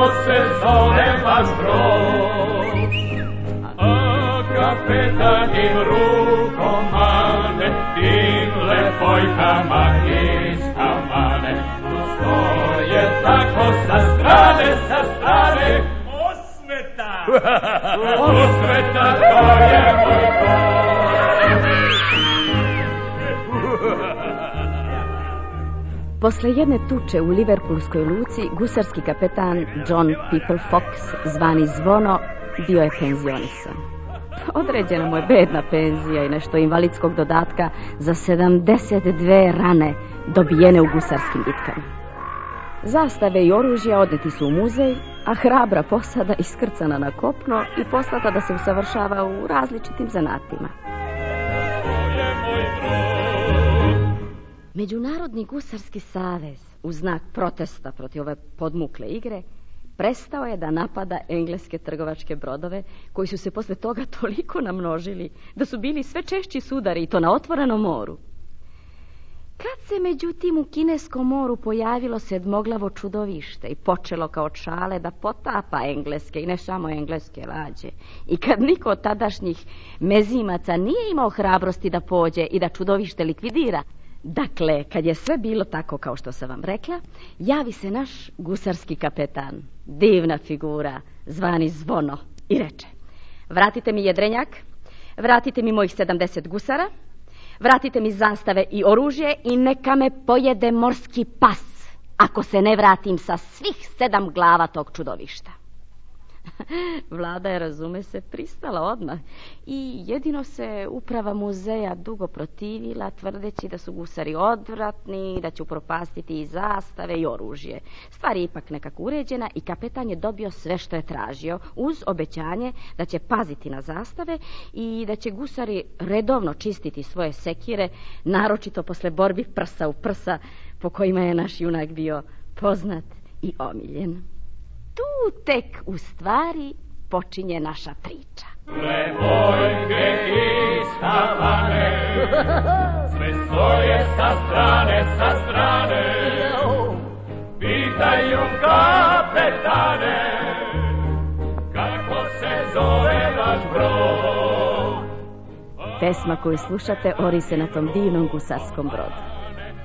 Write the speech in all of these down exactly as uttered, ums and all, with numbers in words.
kako se zove vaš brod. A kapetanim rukom mane, tim lepojkama iz kamane. Tu stoje tako sa strane, sa strane, osveta, osveta, to je moj brod. Posle jedne tuče u Liverpoolskoj luci, gusarski kapetan John People Fox, zvani Zvono, bio je penzionisan. Određena mu je bedna penzija i nešto invalidskog dodatka za sedamdeset dve rane dobijene u gusarskim bitkama. Zastave i oružja odneti su u muzej, a hrabra posada iskrcana na kopno i poslata da se usavršava u različitim zanatima. Međunarodni gusarski savez, u znak protesta protiv ove podmukle igre, prestao je da napada engleske trgovačke brodove, koji su se posle toga toliko namnožili da su bili sve češći sudari, i to na otvorenom moru. Kad se međutim u kineskom moru pojavilo sedmoglavo čudovište i počelo kao čale da potapa engleske i ne samo engleske lađe, i kad niko od tadašnjih mezimaca nije imao hrabrosti da pođe i da čudovište likvidira, dakle, kad je sve bilo tako kao što sam vam rekla, javi se naš gusarski kapetan, divna figura, zvani Zvono, i reče: vratite mi jedrenjak, vratite mi mojih sedamdeset gusara, vratite mi zastave i oružje i neka me pojede morski pas, ako se ne vratim sa svih sedam glava tog čudovišta. Vlada je, razume se, pristala odmah i jedino se uprava muzeja dugo protivila, tvrdeći da su gusari odvratni, da će upropastiti i zastave i oružje. Stvar je ipak nekako uređena i kapetan je dobio sve što je tražio, uz obećanje da će paziti na zastave i da će gusari redovno čistiti svoje sekire, naročito posle borbi prsa u prsa, po kojima je naš junak bio poznat i omiljen. Tu tek u stvari počinje naša priča. Lepojke iz Havane, sve stoje sa strane, sa strane, pitaju kapetane, kako se zove vaš brod. Pesma koju slušate ori se na tom divnom gusarskom brodu.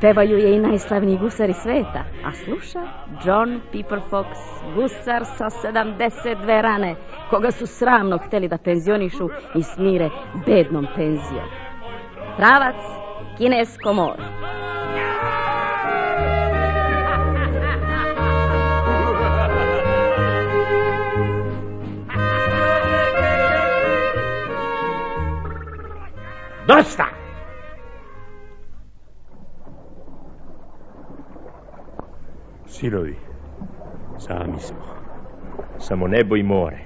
Pevaju je i najslavniji gusari sveta, a sluša John People Fox, gusar sa sedamdeset dve rane, koga su sramno hteli da penzionišu i smire bednom penzijom. Pravac, kinesko more. Dosta! Sinovi, sami smo, samo nebo i more.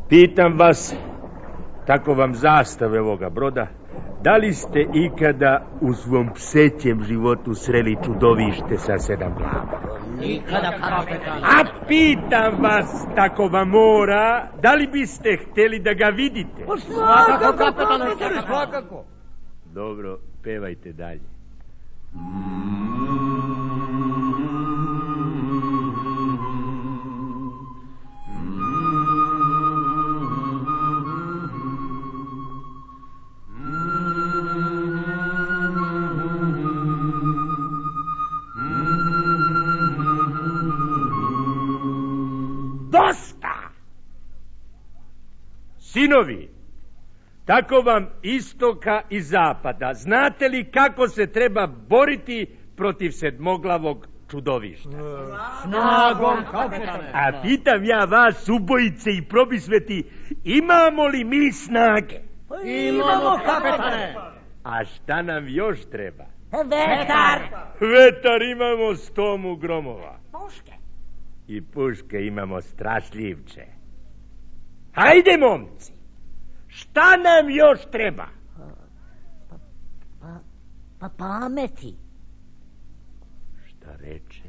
Pitam vas, tako vam zastave ovoga broda, da li ste ikada u svom psećem životu sreli čudovište sa sedam glava? Nikada, kapetane. A pitam vas, tako vam mora, da li biste hteli da ga vidite? Svakako, kapetane, svakako. Dobro, pevajte dalje. Dosta! Sinovi, tako vam istoka i zapada, znate li kako se treba boriti protiv sedmoglavog čudovišta? Snagom, kapetane. A pitam ja vas, ubojice i probisveti, imamo li mi snage? Imamo, kapetane. A šta nam još treba? Vetar. Vetar imamo stomu gromova. Puške. I puške imamo strašljivče. Hajde, momci, šta nam još treba? Pa, pa, pa pameti. Šta reče?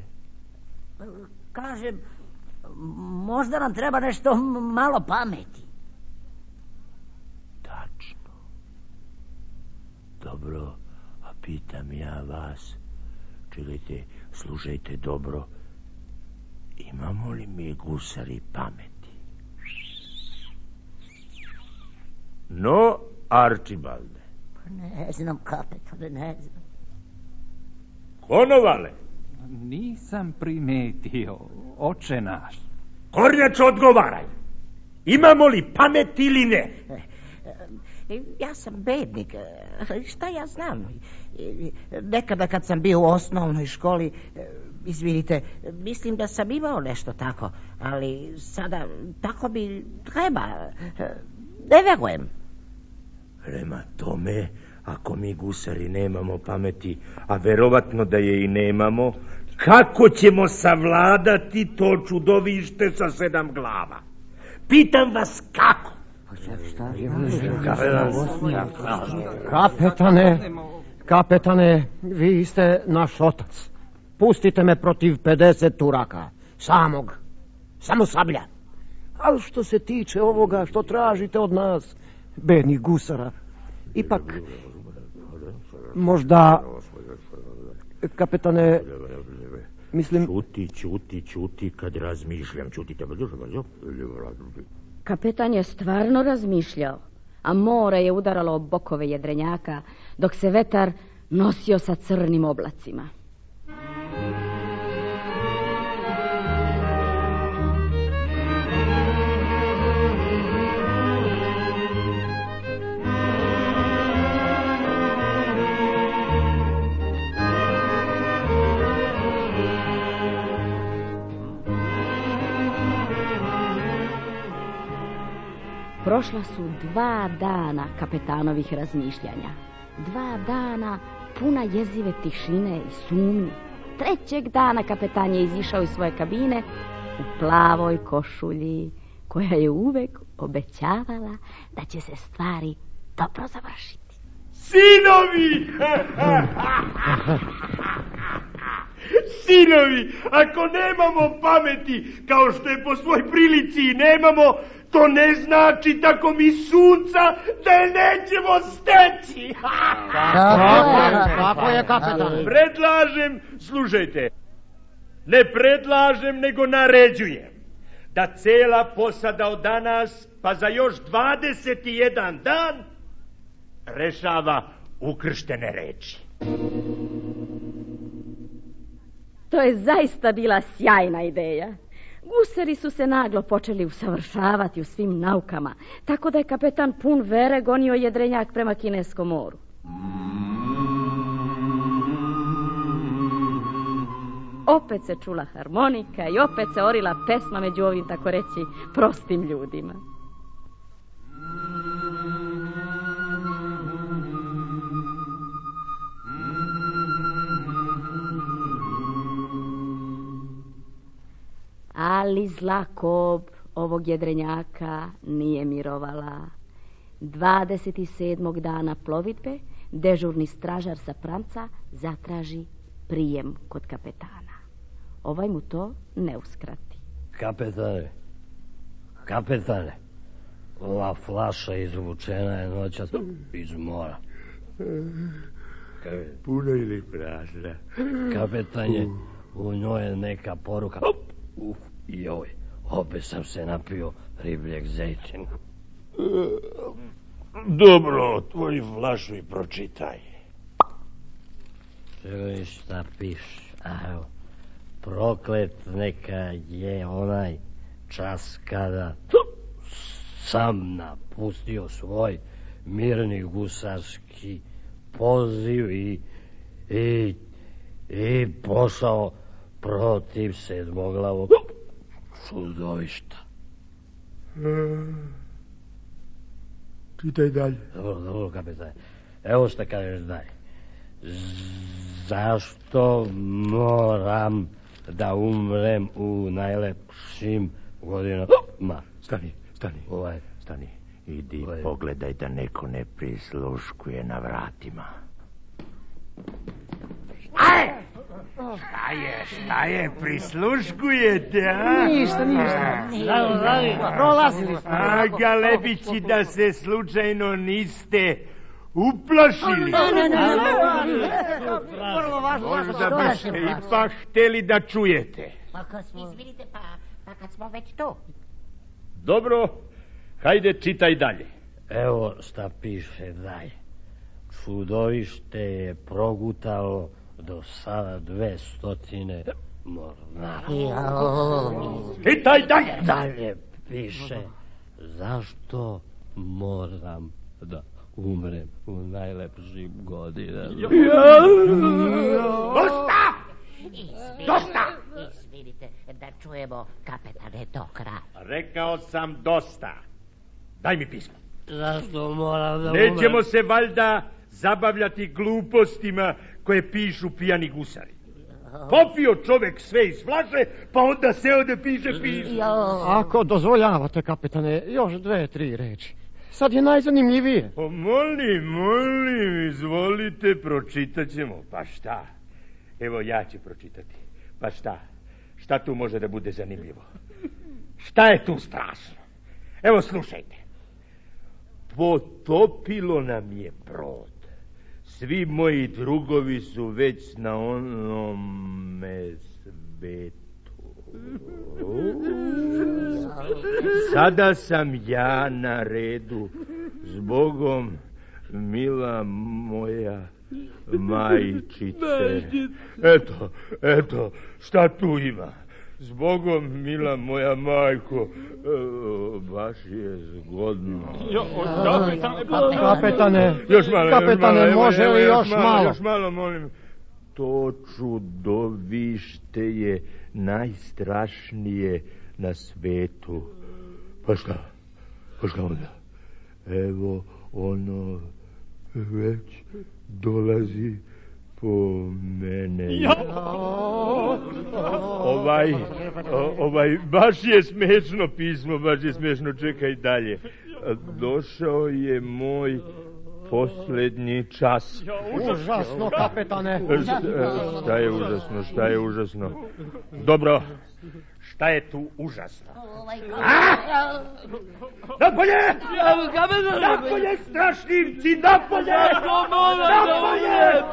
Kažem, možda nam treba nešto malo pameti. Tačno. Dobro, a pitam ja vas, čekajte, slušajte dobro. Imamo li mi gusari pameti? No, Arčibalde. Pa ne znam, kapetane, ne znam. Konovale? Nisam primetio, oče naš. Kornjač, odgovaraj. Imamo li pamet ili ne? Ja sam bednik, šta ja znam? Nekada kad sam bio u osnovnoj školi, izvinite, mislim da sam imao nešto tako, ali sada tako bi treba. Ne verujem. Prema tome, ako mi gusari nemamo pameti, a verovatno da je i nemamo, kako ćemo savladati to čudovište sa sedam glava? Pitam vas kako? Kapetane, kapetane, vi ste naš otac. Pustite me protiv pedeset Turaka, samog, samo sablja. Ali što se tiče ovoga što tražite od nas, bednih gusara, ipak, možda, kapetane, mislim... Čuti, čuti, čuti, kad razmišljam, čutite. Kapetan je stvarno razmišljao, a more je udaralo o bokove jedrenjaka, dok se vetar nosio sa crnim oblacima. Prošla su dva dana kapetanovih razmišljanja. Dva dana puna jezive tišine i sumnji. Trećeg dana kapetan je izišao iz svoje kabine u plavoj košulji, koja je uvek obećavala da će se stvari dobro završiti. Sinovi! Sinovi, ako nemamo pameti, kao što je po svoj prilici i nemamo, to ne znači tako mi sunca da je nećemo steći. Kako je, kapetan? Predlažem, slušajte, ne predlažem, nego naređujem da cela posada od danas, pa za još dvadeset jedan dan, rešava ukrštene reči. To je zaista bila sjajna ideja. Gusari su se naglo počeli usavršavati u svim naukama, tako da je kapetan pun vere gonio jedrenjak prema Kineskom moru. Opet se čula harmonika i opet se orila pesma među ovim, tako reći, prostim ljudima. Ali zla kob ovog jedrenjaka nije mirovala. dvadeset sedmog dana plovidbe dežurni stražar sa pranca zatraži prijem kod kapetana. Ovaj mu to ne uskrati. Kapetane, kapetane, ova flaša izvučena je noćas iz mora. Puno ili prazna? Kapetanje, u njoj je neka poruka. Uf, joj, opet sam se napio ribljeg zejtina. Dobro, otvori flašu i pročitaj. Čekaj, šta piše? Evo, proklet neka je onaj čas kada sam napustio svoj mirni gusarski poziv i, i, i pošao protiv sedmoglavog čudovišta. Čitaj dalje. Dobro, dobro, kapetane. Evo šta kažeš dalje. Zašto moram da umrem u najlepšim godinama? Stani, stani, Ovaj. stani. Idi, Ovaj. pogledaj da neko ne prisluškuje na vratima. Aj! Šta je, šta je, prisluškujete, a? Ništa, ništa. Prolazili smo. A, Galebići, da se slučajno niste uplašili. Ne, ne, ne, Možda biste ipak hteli da čujete. Pa kad smo... Izvinite, pa, pa kad smo već tu. Dobro, hajde čitaj dalje. Evo šta piše dalje. Čudovište je progutalo do sada dve stotine mornara. Čitaj dalje. Dalje piše, zašto moram da umrem u najlepšim godinama. Dosta! Dosta! Izvinite, da čujemo, kapetane, do kraja. Rekao sam dosta. Daj mi pismo. Zašto moram da umrem? Nećemo se valjda zabavljati glupostima koje pišu pijani gusari. Popio čovek sve iz flaše, pa onda seo da piše pismo. Ako dozvoljavate, kapetane, još dve, tri reči. Sad je najzanimljivije. O, molim, molim, izvolite, pročitat ćemo. Pa šta? Evo, ja ću pročitati. Pa šta? Šta tu može da bude zanimljivo? Šta je tu strašno? Evo, slušajte. Potopilo nam je brod. Svi moji drugovi su već na onome svetu. Sada sam ja na redu. Zbogom, mila moja majčice. Eto, eto, šta tu ima? Zbogom, mila moja majko, e, baš je zgodno. Jo, kapetane, Kapetane, još malo, kapetane, još malo, može evo, li evo, još malo? Još malo, molim. To čudovište je najstrašnije na svetu. Pa šta? Pa šta onda? Evo, ono već dolazi po mene. Ja. Ovaj, o, ovaj, baš je smešno pismo, baš je smešno, čekaj dalje. Došao je moj posljednji čas. Užasno, kapetane. Šta, šta je užasno, šta je užasno? Dobro, šta je tu užasno? Napolje! Napolje, strašljivci, napolje! Napolje!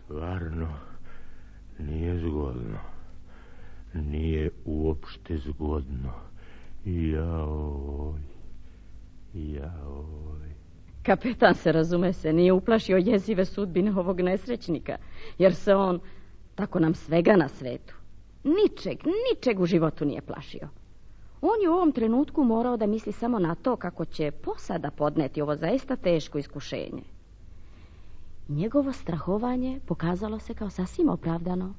Stvarno, nije zgodno. Nije uopšte zgodno. Jaoj, jaoj. Kapetan se, razume se, nije uplašio jezive sudbine ovog nesrećnika, jer se on, tako nam svega na svetu, ničeg, ničeg u životu nije plašio. On je u ovom trenutku morao da misli samo na to kako će posada podneti ovo zaista teško iskušenje. Njegovo strahovanje pokazalo se kao sasvim opravdano,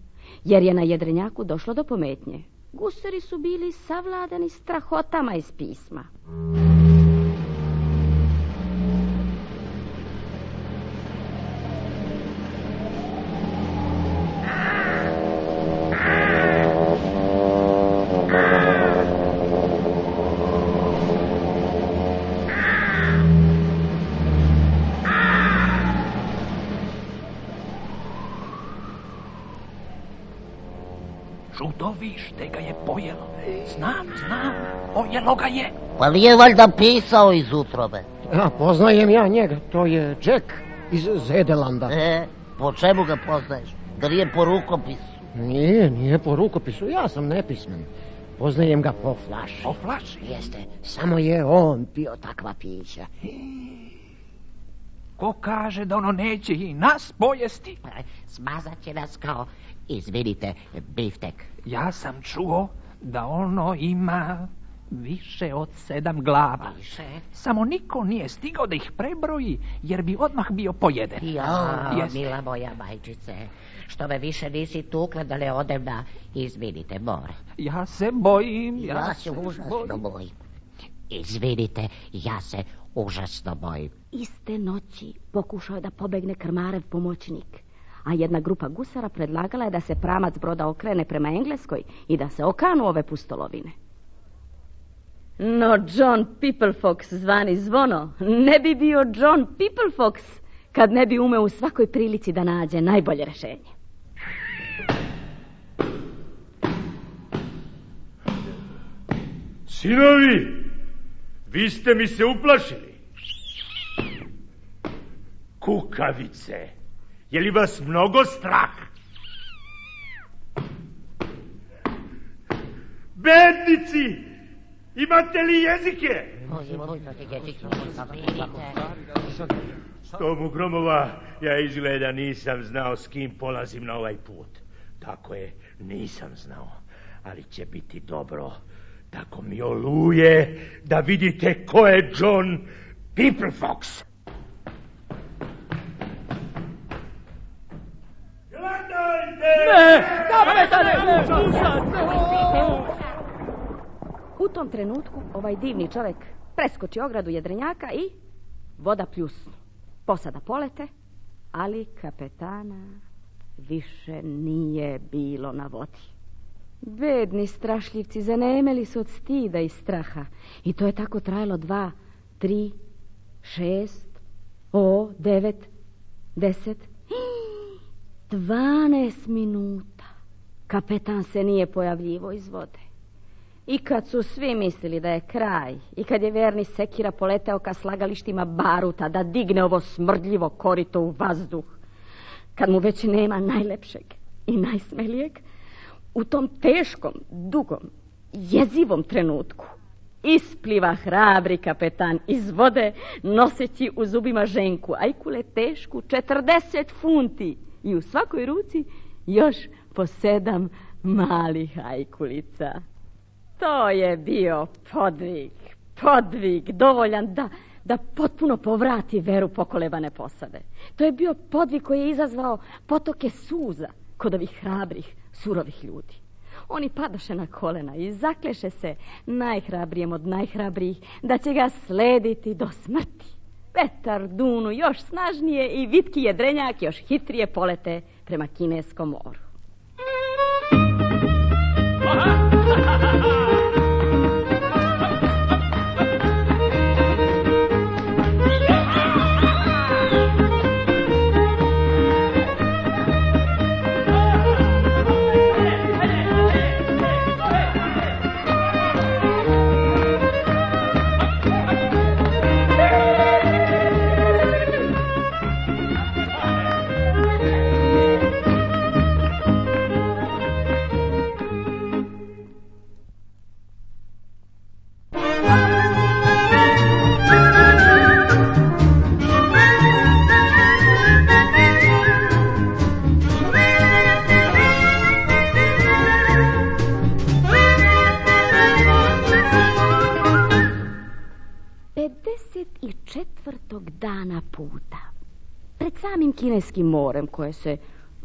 jer je na jedrenjaku došlo do pometnje. Gusari su bili savladani strahotama iz pisma. Čudovište ga je pojelo. Znam, znam, pojelo ga je. Pa nije valjda pisao iz utrobe? Ja, poznajem ja njega, to je Jack iz Zedelanda. E, po čemu ga poznaješ? Da nije po rukopisu? Nije, nije po rukopisu, ja sam nepismen. Poznajem ga po flaši. Po flaši? Jeste, samo je on pio takva pića. Ko kaže da ono neće i nas pojesti? Smazat će nas kao, izvinite, biftek. Ja sam čuo da ono ima više od sedam glava. Više? Samo niko nije stigao da ih prebroji, jer bi odmah bio pojeden. Ja, Jeste. mila moja majčice, što me više nisi tukla da ne odem na, izvinite, more. Ja se bojim. Ja, Ja se užasno bojim. Izvinite, ja se užasno bojim. Iste noći pokušao je da pobegne krmarev pomoćnik, a jedna grupa gusara predlagala je da se pramac broda okrene prema Engleskoj i da se okanu ove pustolovine. No John Pipplefox, zvani Zvono, ne bi bio John Pipplefox kad ne bi umeo u svakoj prilici da nađe najbolje rešenje. Sinovi, vi ste mi se uplašili. Kukavice, je li vas mnogo strah? Bednici, imate li jezike? Tomu Gromova, ja izgleda nisam znao s kim polazim na ovaj put. Tako je, nisam znao, ali će biti dobro. Tako mi oluje da vidite ko je John Peoplefox. Ne, kapetane, u tom trenutku ovaj divni čovjek preskoči ogradu jedrenjaka i voda pljusnu. Posada polete, ali kapetana više nije bilo na vodi. Bedni strašljivci zanemeli su od stida i straha. I to je tako trajalo dva, tri, šest, o, devet, deset, dvanaest minuta. Kapetan se nije pojavljivo iz vode. I kad su svi mislili da je kraj, i kad je verni sekira poleteo ka slagalištima baruta da digne ovo smrdljivo korito u vazduh, kad mu već nema najlepšeg i najsmelijeg, u tom teškom, dugom, jezivom trenutku ispliva hrabri kapetan iz vode, noseći u zubima ženku ajkule tešku četrdeset funti i u svakoj ruci još po sedam malih ajkulica. To je bio podvig, podvig dovoljan da, da potpuno povrati veru pokolebane posade. To je bio podvig koji je izazvao potoke suza kod ovih hrabrih, surovih ljudi. Oni padaše na kolena i zakleše se najhrabrijem od najhrabrijih da će ga slediti do smrti. Vetar dunu još snažnije i vitki jedrenjak još hitrije polete prema Kineskom moru. Dana puta, pred samim Kineskim morem koje se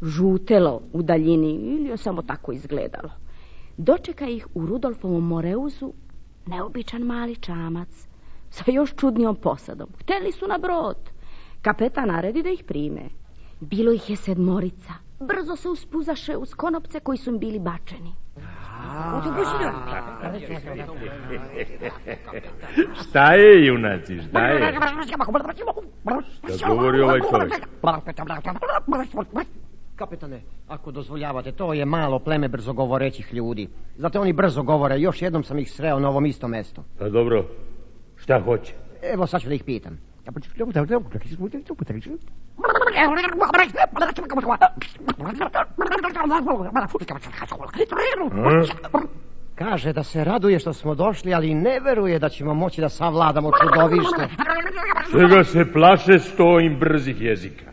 žutelo u daljini ili je samo tako izgledalo, dočeka ih u Rudolfovom Moreuzu neobičan mali čamac sa još čudnijom posadom. Hteli su na brod. Kapetan naredi da ih prime. Bilo ih je sedmorica. Brzo se uspuzaše uz konopce koji su im bili bačeni. Šta je, junaci, šta je? Šta govori ovaj čovjek? Kapetane, ako dozvoljavate, to je malo pleme brzogovorećih ljudi. Zato oni brzo govore, još jednom sam ih sreo na ovom istom mestu. Pa dobro, šta hoće? Evo, sad ću da ih pitam. Kaže da se raduje što smo došli, ali ne veruje da ćemo moći da savladamo čudovište. Čega se plaše sto im brzih jezika?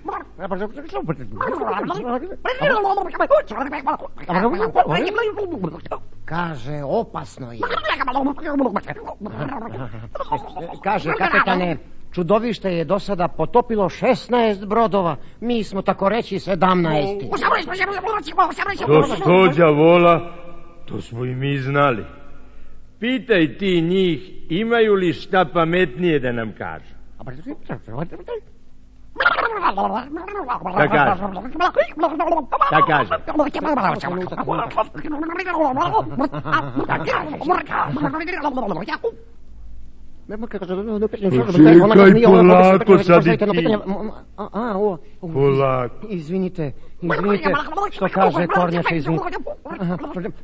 Kaže, opasno je. Kaže, kapetane, čudovište je do sada potopilo šesnaest brodova. Mi smo tako reći sedamnaest. To sto đavola, to smo i mi znali. Pitaj ti njih, imaju li šta pametnije da nam kažu? Šta kaže? Šta kaže? Čekaj, polako sad i ti. Polako. Izvinite, izvinite, što kaže Kornjača, izvinite.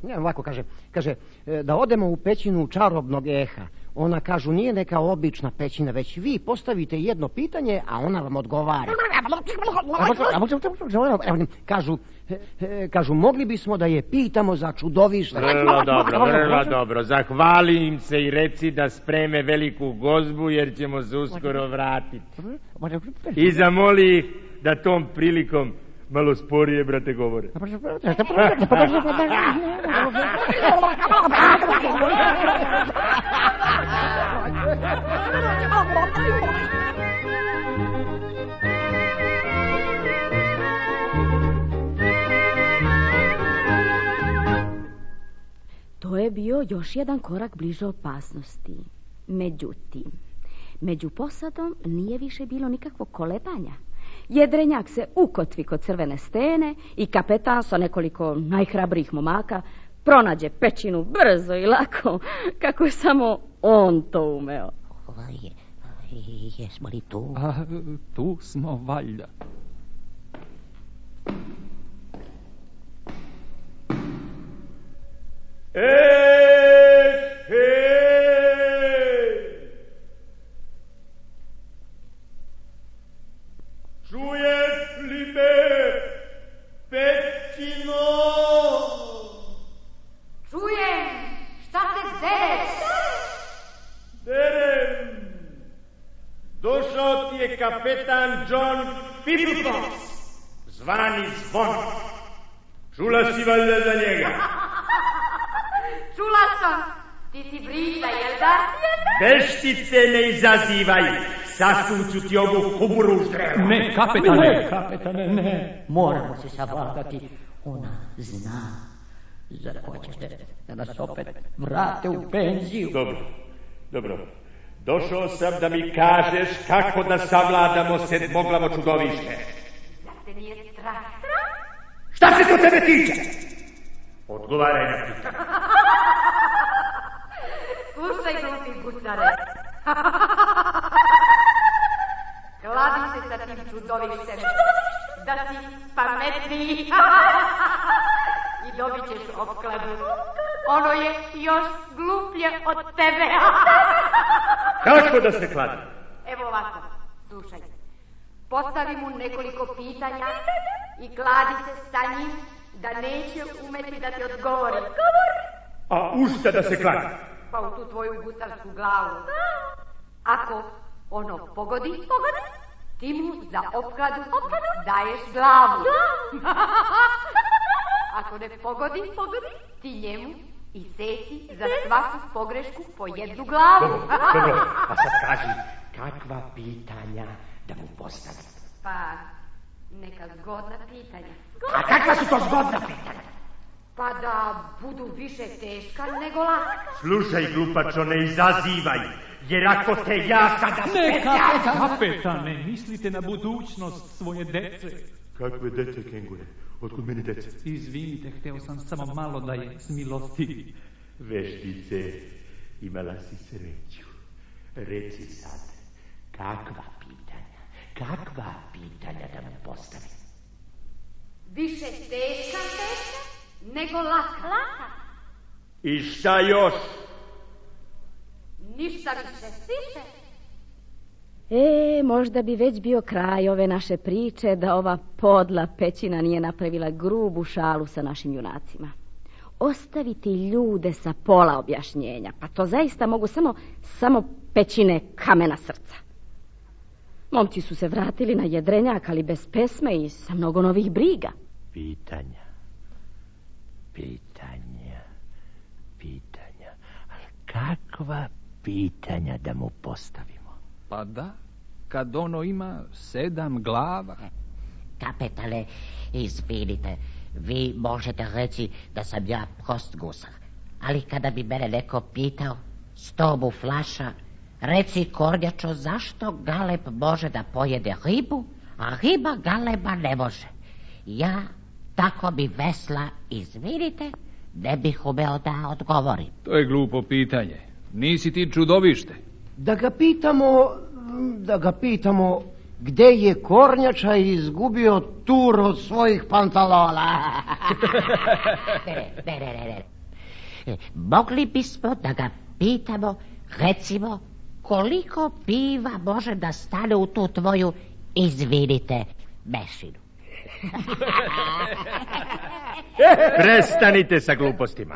Ne, ovako kaže, kaže, da odemo u pećinu čarobnog eha. Ona, kažu, nije neka obična pećina, već vi postavite jedno pitanje, a ona vam odgovara. Kažu, kažu, mogli bismo da je pitamo za čudovište. Vrlo dobro, vrlo dobro. Zahvali im se i reci da spreme veliku gozbu, jer ćemo se uskoro vratiti. I zamoli ih da tom prilikom malo sporije, brate, govore. To je bio još jedan korak bliže opasnosti. Međutim, među posadom nije više bilo nikakvog kolebanja. Jedrenjak se ukotvi kod crvene stene i kapetan sa nekoliko najhrabrijih momaka pronađe pećinu brzo i lako, kako je samo on to umeo. Jesmo li tu? A, tu smo valjda. Ej, hej! Čuješ li me, pećino? Čujem, šta te dereš? Derem. Došao ti je kapetan John Pipitox, zvani Zvon. Čula si valjda za njega? Čula sam, ti si Brita, jel da? Veštice ne izazivaj, sasuću ti ovu kuburu u ždrevu. Ne, kapetane, ne, kapetane, ne. Moramo se savladati. Ona zna. Zar hoćete da nas opet vrate u penziju? Dobro, dobro. Došao sam da mi kažeš kako da savladamo sedmoglavo čudovište. Da te nije strah. Šta se to tebe tiče? Odgovaraj na pitanje. Slušaj, glupi gucare. Kladi se sa tim čudovištem. Da si pametniji. I dobit ćeš opkladu. Ono je još gluplje od tebe. Kako da se kladi? Evo ovako, slušaj. Postavi mu nekoliko pitanja i kladi se sa njim da neće umeti da ti odgovori. A u šta da se kladi? Pa u tu tvoju gucarsku glavu. Ako ono pogodi, pogodi, ti mu za opkladu, opkladu daješ glavu. Ako ne pogodi, pogodi, ti njemu i seci za svaku pogrešku po jednu glavu. Dobro, dobro, a sad kaži, kakva pitanja da mu postavim? Pa, neka zgodna pitanja. A kakva su to zgodna pitanja? Pa da budu više teška nego laka. Slušaj, glupačo, ne izazivaj, jer ako te ja sada Ne, spetljam... kapetane, kapetane, mislite na budućnost svoje dece. Kakve dece, kengure? Otkud meni dece? Izvinite, hteo sam samo malo da je smilostivi. Veštice, imala si sreću. Reci sad, kakva pitanja, kakva pitanja da mu postavim? Više teška, teška nego laka. Laka? I šta još? Ništa više. Više. E, možda bi već bio kraj ove naše priče da ova podla pećina nije napravila grubu šalu sa našim junacima. Ostaviti ljude sa pola objašnjenja, pa to zaista mogu samo, samo pećine kamena srca. Momci su se vratili na jedrenjak, ali bez pesme i sa mnogo novih briga. Pitanja, pitanja, pitanja, ali kakva pitanja da mu postavimo? Pa da, kad ono ima sedam glava. Kapetane, izvinite, vi možete reći da sam ja prost gusar. Ali kada bi mene neko pitao, sto mu flaša, reci kornjačo, zašto galeb može da pojede ribu, a riba galeba ne može? Ja, tako bi vesla, izvinite, ne bih umeo da odgovorim. To je glupo pitanje. Nisi ti čudovište. Da ga pitamo, da ga pitamo gde je kornjača izgubio tur od svojih pantalona. ne, ne, ne, ne, ne. Mogli bismo da ga pitamo Recimo, koliko piva može da stane u tu tvoju, izvinite, mešinu? Prestanite sa glupostima.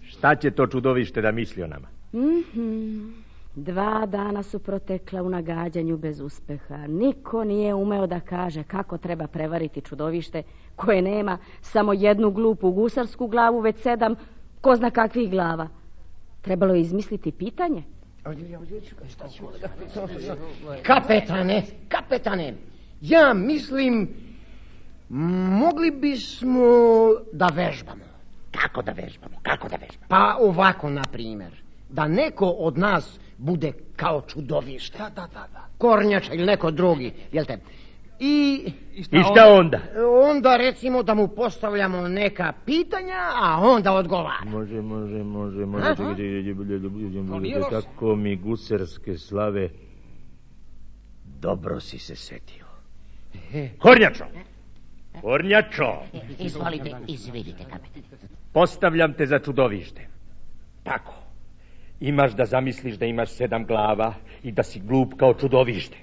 Šta će to čudovište da misli o nama? Mm-hmm. Dva dana su protekla u nagađanju bez uspeha. Niko nije umeo da kaže kako treba prevariti čudovište koje nema samo jednu glupu gusarsku glavu, već sedam ko zna kakvih glava. Trebalo je izmisliti pitanje. Kapetane, kapetane, ja mislim, mogli bismo da vežbamo. Kako da vežbamo, kako da vežbamo? Pa ovako, na primjer, da neko od nas bude kao čudovište. Da, da, da, da. Kornjača ili neko drugi, jel te? I, I šta, I šta onda? Onda recimo da mu postavljamo neka pitanja, a onda odgovara. Može, može, može, može. Tako mi gusarske slave. Dobro si se setio. Kornjačo! Kornjačo! Izvolite, izvidite, kapetane. Postavljam te za čudovište. Tako. Imaš da zamisliš da imaš sedam glava i da si glup kao čudovište.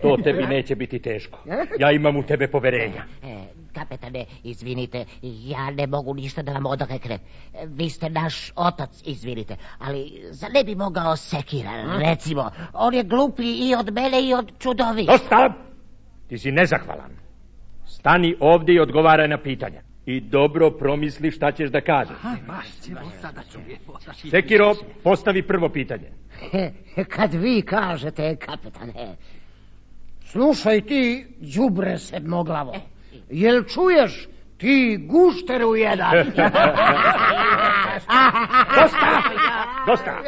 To tebi neće biti teško. Ja imam u tebe poverenja. E, kapetane, izvinite, ja ne mogu ništa da vam odreknem. Vi ste naš otac, izvinite, ali za ne bi mogao Sekira, recimo. On je gluplji i od mene i od čudovišta. Dosta! Ti si nezahvalan. Stani ovdje i odgovaraj na pitanja. I dobro promisli šta ćeš da kažeš. Sekiro, postavi prvo pitanje. Kad vi kažete, kapetane, slušaj ti, đubre sedmoglavo, jel čuješ ti gušteru jedan? Dosta! Dosta!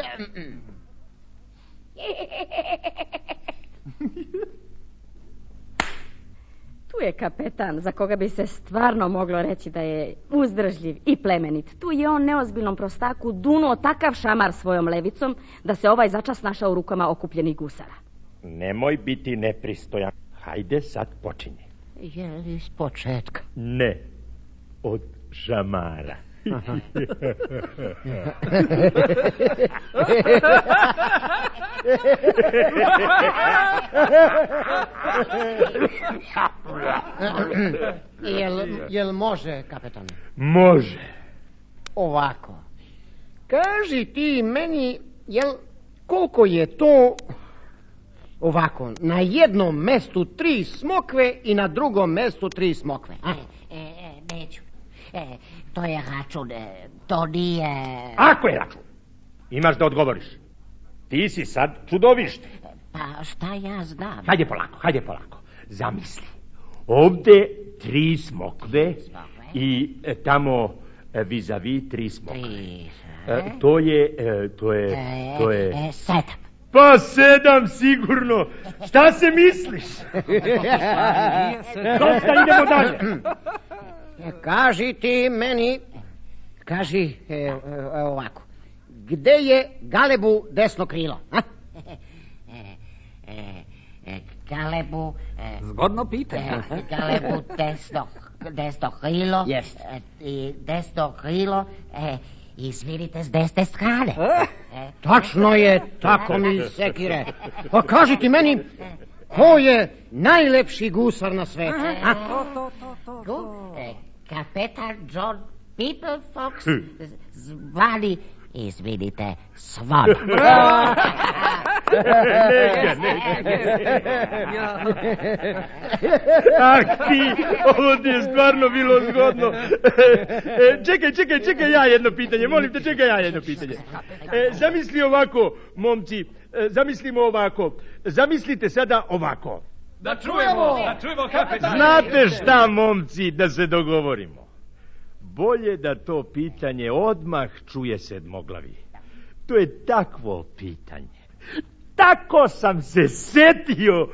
Tu je kapetan za koga bi se stvarno moglo reći da je uzdržljiv i plemenit. Tu je on neozbiljnom prostaku dunuo takav šamar svojom levicom da se ovaj začas našao u rukama okupljenih gusara. Nemoj biti nepristojan. Hajde sad počinje. Je li iz početka? Ne, od šamara. jel, jel može, kapetane? Može. Ovako. Kaži ti meni, jel, koliko je to ovako, na jednom mestu tri smokve i na drugom mestu tri smokve? A? E, e, neću. E, to je račun, e, to nije... Ako je račun, imaš da odgovoriš. Ti si sad čudovište. Pa šta ja znam? Hajde polako, hajde polako. Zamisli. Ovde tri smokve, smokve. I e, tamo e, vis-a-vis tri smokve. Tri, e, to je, e, to je, e, to je... E, sedam. Pa sedam sigurno. Šta se misliš? Dosta, idemo dalje. Kaži ti meni, kaži e, e, ovako, gde je Galebu desno krilo? A? E, e, e, Galebu... E, Zgodno pitanje. E, Galebu desno, desno krilo. Yes. E, I desno krilo, e, izvinite, s desne strane. E? Tačno je, tako mi Sekire. Pa kaži ti meni, ko je najlepši gusar na svetu? A? To, to, to, to, to. E, kapetan John People Fox, zvani, izvinite, Svan. Neka, neka. Ah, ti, ovo ti je stvarno bilo zgodno. E, čekaj, čekaj, čekaj ja jedno pitanje, molim te, čekaj ja jedno pitanje. E, zamisli ovako, momci, e, zamislimo ovako, zamislite sada ovako. Da čujemo, da čujemo kapetan. Znate šta, momci, da se dogovorimo. Bolje da to pitanje odmah čuje sedmoglavi. To je takvo pitanje. Tako sam se setio.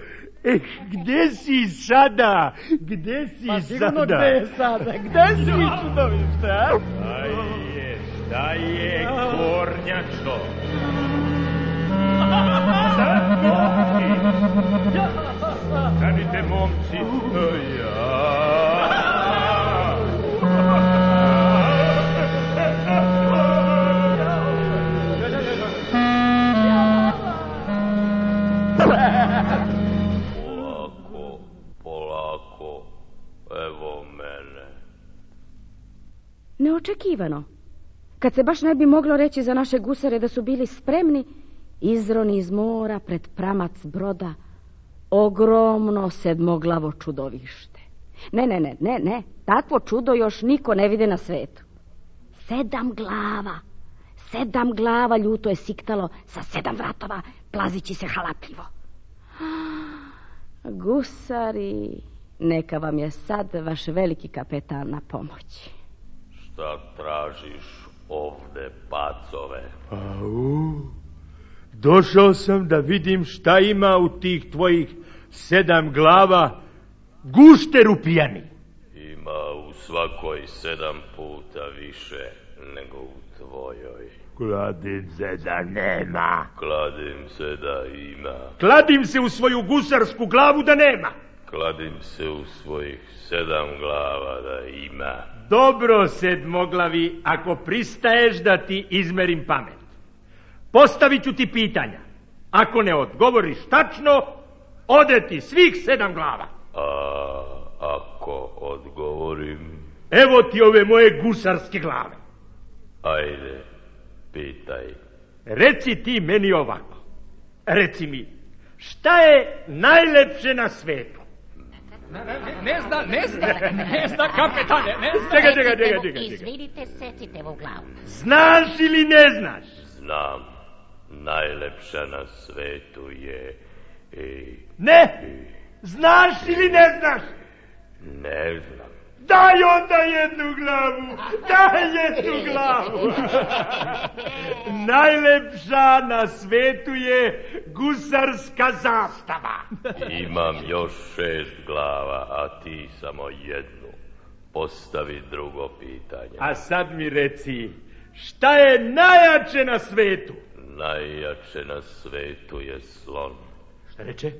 Eh, gde si sada? Gde si pa, sada? Gde je sada? Gde si čudovište, a? Šta je, šta je, Kornjačo? Stanite, momci. Ja... neočekivano. Kad se baš ne bi moglo reći za naše gusare da su bili spremni, izroni iz mora pred pramac broda ogromno sedmoglavo čudovište. Ne, ne, ne, ne, ne, takvo čudo još niko ne vide na svetu. Sedam glava, sedam glava ljuto je siktalo sa sedam vratova, plazići se halapljivo. Gusari, neka vam je sad vaš veliki kapetan na pomoći. Šta tražiš ovde, pacove? Au, došao sam da vidim šta ima u tih tvojih sedam glava gušteru pijani. Ima u svakoj sedam puta više nego u tvojoj. Kladim se da nema. Kladim se da ima. Kladim se u svoju gusarsku glavu da nema. Kladim se u svojih sedam glava da ima. Dobro, sedmoglavi, ako pristaješ da ti izmerim pamet. Postavit ću ti pitanja. Ako ne odgovoriš tačno, ode ti svih sedam glava. A ako odgovorim? Evo ti ove moje gusarske glave. Ajde, pitaj. Reci ti meni ovako. Reci mi, šta je najlepše na svetu? Ne, ne, ne zna, ne zna, ne zna, kapetane, ne zna. Čekaj, čekaj, čekaj, čekaj. Izvidite, secite u glavu. Znaš ili ne znaš? Znam, najlepša na svetu je... I... Ne, znaš ili ne znaš? Ne znam. Daj onda jednu glavu, daj jednu glavu. Najlepša na svetu je gusarska zastava. Imam još šest glava, a ti samo jednu. Postavi drugo pitanje. A sad mi reci, šta je najjače na svetu? Najjače na svetu je slon. Šta reče?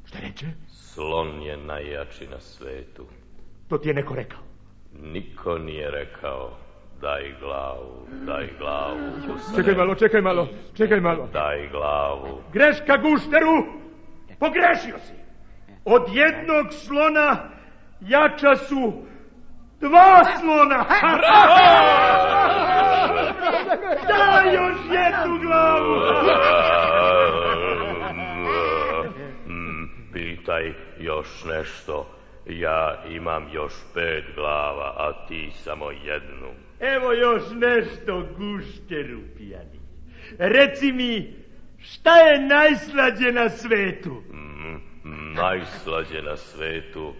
Šta reče? Slon je najjači na svetu. To ti je neko rekao? Niko nije rekao. Daj glavu, daj glavu. Čekaj malo, čekaj malo, čekaj malo. Daj glavu. Greška, gušteru! Pogrešio si. Od jednog slona jača su dva slona. Daj još jednu glavu. Pitaj još nešto. Ja imam još pet glava, a ti samo jednu. Evo još nešto, gušteru pijani. Reci mi, šta je najslađe na svetu? Mm, najslađe na svetu,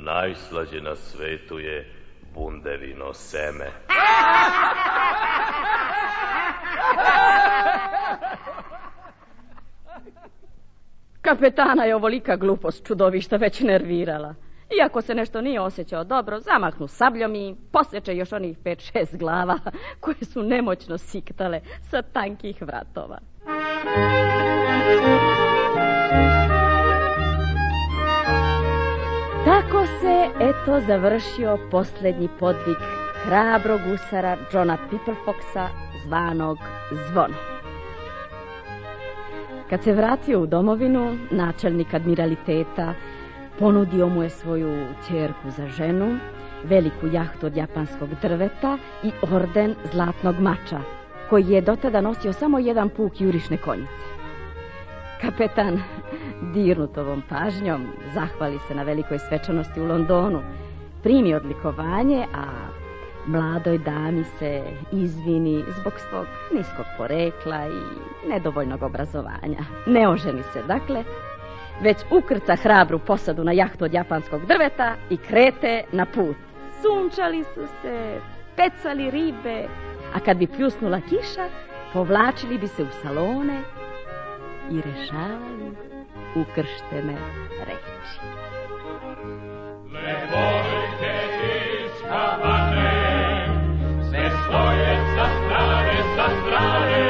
najslađe na svetu je bundevino seme. Kapetana je ovolika glupost čudovišta već nervirala. Iako se nešto nije osjećao dobro, zamahnu sabljom i posjeće još onih pet šest glava koje su nemoćno siktale sa tankih vratova. Tako se, eto, završio posljednji podvig hrabrog gusara Johna Pipperfoxa, zvanog Zvono. Kad se vratio u domovinu, načelnik admiraliteta ponudio mu je svoju ćerku za ženu, veliku jahtu od japanskog drveta i orden zlatnog mača, koji je dotada nosio samo jedan puk jurišne konjice. Kapetan, dirnut ovom pažnjom, zahvali se na velikoj svečanosti u Londonu, primi odlikovanje, a mladoj dami se izvini zbog svog niskog porekla i nedovoljnog obrazovanja. Ne oženi se, dakle, već ukrca hrabru posadu na jahtu od japanskog drveta i krete na put. Sunčali su se, pecali ribe, a kad bi pljusnula kiša, povlačili bi se u salone i rešavali ukrštene reči. Levojke iz Havane, sve stoje sa strane, sa strane,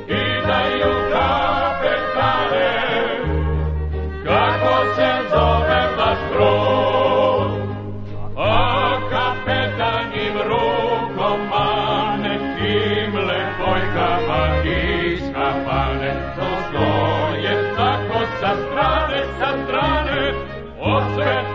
i daju kapetane, kako se zove vaš brod. A kapetan im rukom mane, tim levojkama iz Havane, to stoje tako sa strane, sa strane, od sveta